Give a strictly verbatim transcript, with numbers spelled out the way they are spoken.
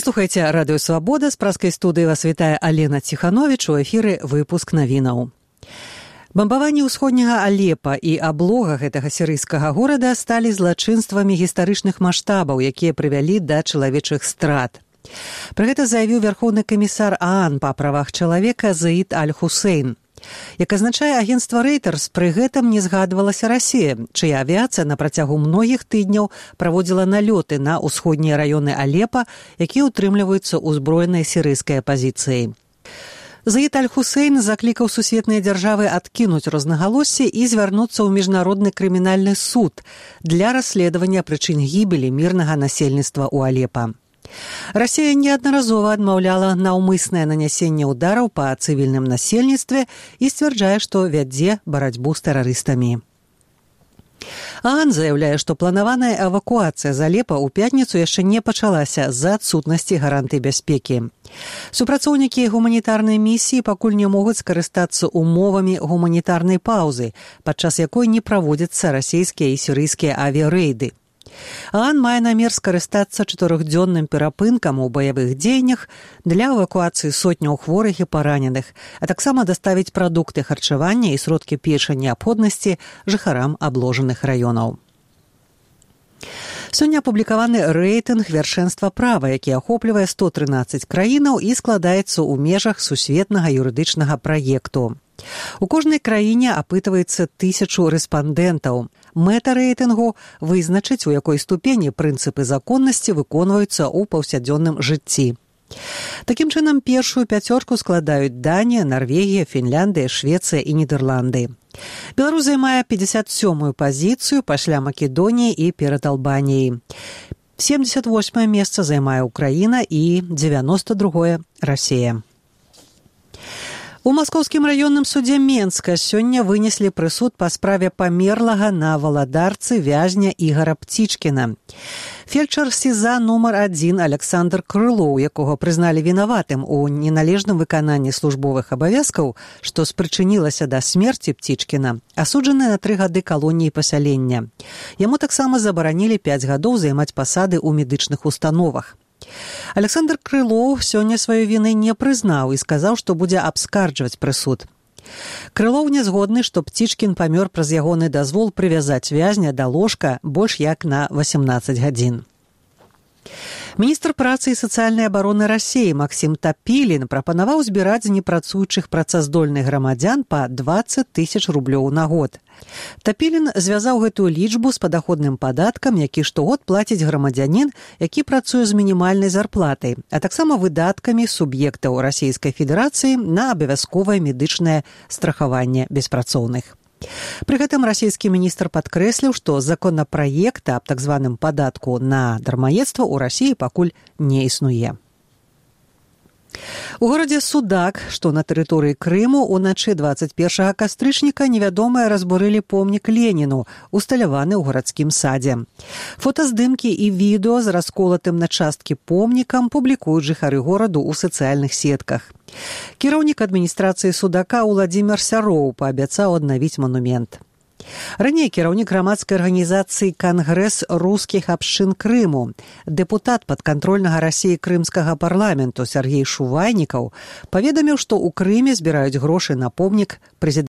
Вы слухаеце радыё «Свабода», з праскай студыі вас вітае Алена Ціхановіч, у эфіры выпуск навінаў. Бамбаванні ўсходняга Алепа і аблога гэтага сірыйскага горада сталі злачынствамі гістарычных маштабаў, якія прывялі да чалавечых страт. Пра гэта заявіў вярхоўны камісар ААН па правах чалавека Заід Аль-Хусейн. Як азначае агенцтва Reuters, пры гэтым не згадвалася Расія, чыя авіяцыя на працягу многіх тыдняў праводзіла налёты на ўсходнія раёны Алепа, якія ўтрымліваюцца ўзброенай сірыйскай апазіцыяй. Заід Аль-Хусейн заклікаў сусветныя дзяржавы адкінуць рознагалоссі і звярнуцца ў міжнародны крымінальны суд для расследавання прычын гібелі мірнага насельніцтва ў Алепа. Расія неаднаразова адмаўляла наўмыснае нанясенне ўдараў па цывільным насельніцтве і сцвярджае, што вядзе барацьбу з тэрарыстамі. ААН заяўляе, што планаваная эвакуацыя з Алепа ў пятніцу яшчэ не пачалася з-за адсутнасці гарантый бяспекі. Супрацоўнікі гуманітарнай місіі пакуль не могуць скарыстацца умовамі гуманітарнай паўзы, падчас якой не праводзяцца расійскія і сірыйскія авіярэйды. ААН мае намер скарыстацца чатырохдзённым перапынкам у баявых дзеяннях для эвакуацыі сотняў хворых і параненых, а таксама даставіць прадукты харчавання і сродкі першай неабходнасці жыхарам абложаных раёнаў. Сёння апублікаваны рэйтынг вяршэнства права, які ахоплівае сто трынаццаць краінаў і складаецца ў межах сусветнага юрыдычнага праекту. У кожнай краіне апытваецца тысячу рэспандэнтаў. Мэта рэйтынгу – вызначыць, у якой ступені прынцыпы законнасці выконваюцца ў паўсядзённым жыцці. Такім чынам, першую пяцёрку складаюць Данія, Нарвегія, Фінляндыя, Швецыя і Нідерланды. Беларусь займае пятьдесят сёмую пазіцыю пасля Македоніі і перад Албаніяй. семьдесят восьмае месца займае Украіна і дзевяносто другое – Расія. У маскоўскім раённым судзе Менска сёння вынеслі прысуд па справе памерлага на валадарцы вязня Ігара Птічкіна. Фельчар СІЗА нумар адзін Александр Крылоў, якога прызналі вінаватым у неналежным выкананні службовых абавязкаў, што спрычынілася да смерці Птічкіна, асуджаны на тры гады калоніі пасялення. Яму таксама забаранілі пяць гадоў займаць пасады ў медычных установах. Александр Крылоў сёння сваёй віны не прызнаў і сказаў, што будзе абскарджваць прысуд. Крылоў не згодны, што Птічкін памёр праз ягоны дазвол прывязаць вязня да ложка больш як на восемнадцаць гадзін. Міністр працы і сацыяльнай абароны Расіі Максім Тапілін прапанаваў збіраць з непрацуючых працаздольных грамадзян па дваццаць тысяч рублёў на год. Тапілін звязаў гэтую лічбу з падаходным падаткам, які штогод плаціць грамадзянін, які працуе з мінімальнай зарплатай, а таксама выдаткамі суб'ектаў Расійскай Федэрацыі на абавязковае медычнае страхаванне беспрацоўных. Пры гэтым расійскі міністр падкрэсліў, што законапраекта аб так званым падатку на дармаедства ў Расіі пакуль не існуе. У горадзе Судак, што на тэрыторыі Крыму, уначы дваццаць першага кастрычніка невядомыя разбурылі помнік Леніну, усталяваны ў гарадскім садзе. Фотаздымкі і відэо з расколатым на часткі помнікам публікуюць жыхары гораду ў сацыяльных сетках. Кіраўнік адміністрацыі Судака Уладзімір Сяроў паабяцаў аднавіць манумент. Раней кіраўнік грамадскай арганізацыі «Кангрэс рускіх абшчын Крыму», дэпутат падкантрольнага Расіі крымскага парламенту Сергей Шувайнікаў паведаміў, што ў Крыме збіраюць грошы на помнік прэзідэнту